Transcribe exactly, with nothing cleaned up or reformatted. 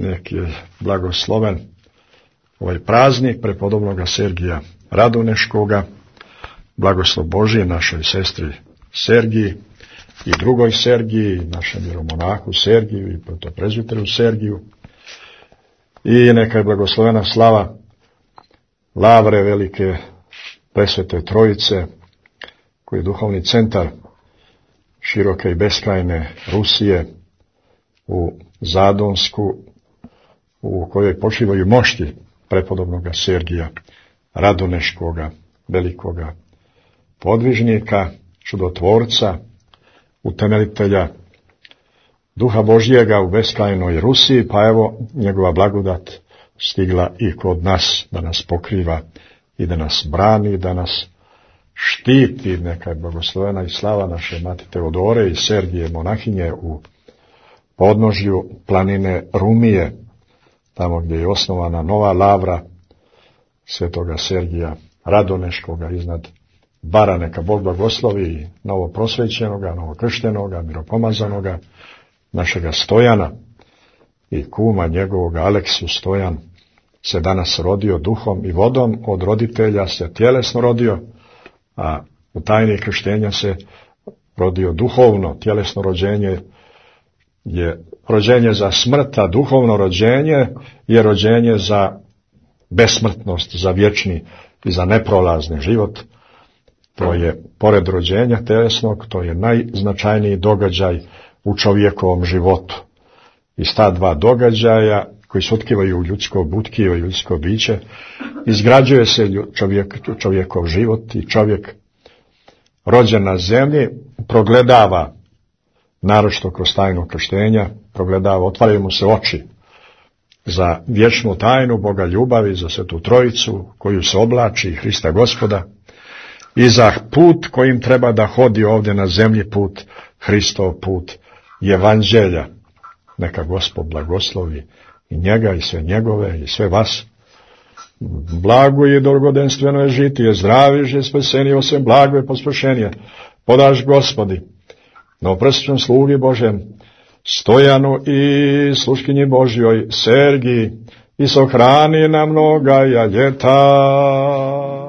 nek je blagosloven ovaj praznik prepodobnoga Sergija Radoneškoga, blagoslov Božije našoj sestri Sergiji i drugoj Sergiji, našem vjeromonahu Sergiju i protoprezbiteru Sergiju. I neka je blagoslovena slava Lavre velike presvete Trojice, koji je duhovni centar široke i beskrajne Rusije u Zadonsku, u kojoj počivaju mošti prepodobnoga Sergija Radoneškoga, velikoga podvižnika, čudotvorca, utemeljitelja Duha Božjega u beskrajnoj Rusiji, pa evo njegova blagodat stigla i kod nas, da nas pokriva i da nas brani, da nas štiti. Neka je blagoslovena i slava naše mati Teodore i Sergije monahinje u podnožju planine Rumije, tamo gdje je osnovana nova lavra svetoga Sergija Radoneškoga iznad Bara. Neka Bog blagoslovi novo prosvećenoga, novo krštenoga, miropomazanoga, našega Stojana i kuma njegovoga Aleksu. Stojan se danas rodio duhom i vodom, od roditelja se tjelesno rodio, a u tajni krštenja se rodio duhovno. Tjelesno rođenje je rođenje za smrt, a duhovno rođenje je rođenje za besmrtnost, za vječni i za neprolazni život. To je, pored rođenja tjelesnog, to je najznačajniji događaj u čovjekovom životu. Iz ta dva događaja, koji se otkivaju u ljudsko butkivo i ljudsko biće, izgrađuje se čovjek, čovjekov život i čovjek rođen na zemlji progledava, naročito kroz tajnu krštenja, progledava, otvaraju mu se oči za vječnu tajnu Boga ljubavi, za Svetu Trojicu, koju se oblači Hrista Gospoda, i za put kojim treba da hodi ovdje na zemlji, put Hristov, put Evanđelja. Neka Gospod blagoslovi i njega i sve njegove i sve vas. Blago i dolgodenstveno je žitije, zdravi je spasenije, osim blago je pospršenije. Podaš Gospodi, no prstvom slugi Božem, Stojanu i sluškinji Božjoj Sergiji, i sohrani na mnoga ljeta.